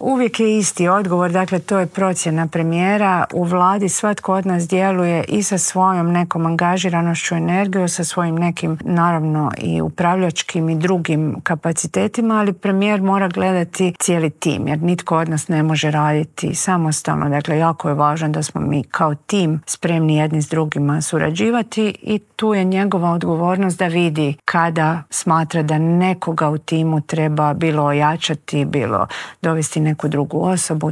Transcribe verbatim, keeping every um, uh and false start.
uvijek je isti odgovor, dakle to je procjena premijera. U vladi svatko od nas djeluje i sa svojom nekom angažiranošću, energijom, sa svojim nekim naravno i upravljačkim i drugim kapacitetima, ali premijer mora gledati cijeli tim, jer nitko od nas ne može raditi samostalno. Dakle, jako je važno da smo mi kao tim spremni jedni s drugima surađivati i tu je njegova odgovornost da vidi kada smatra da nekoga u timu treba bilo ojačati, bilo dovesti neku drugu osobu.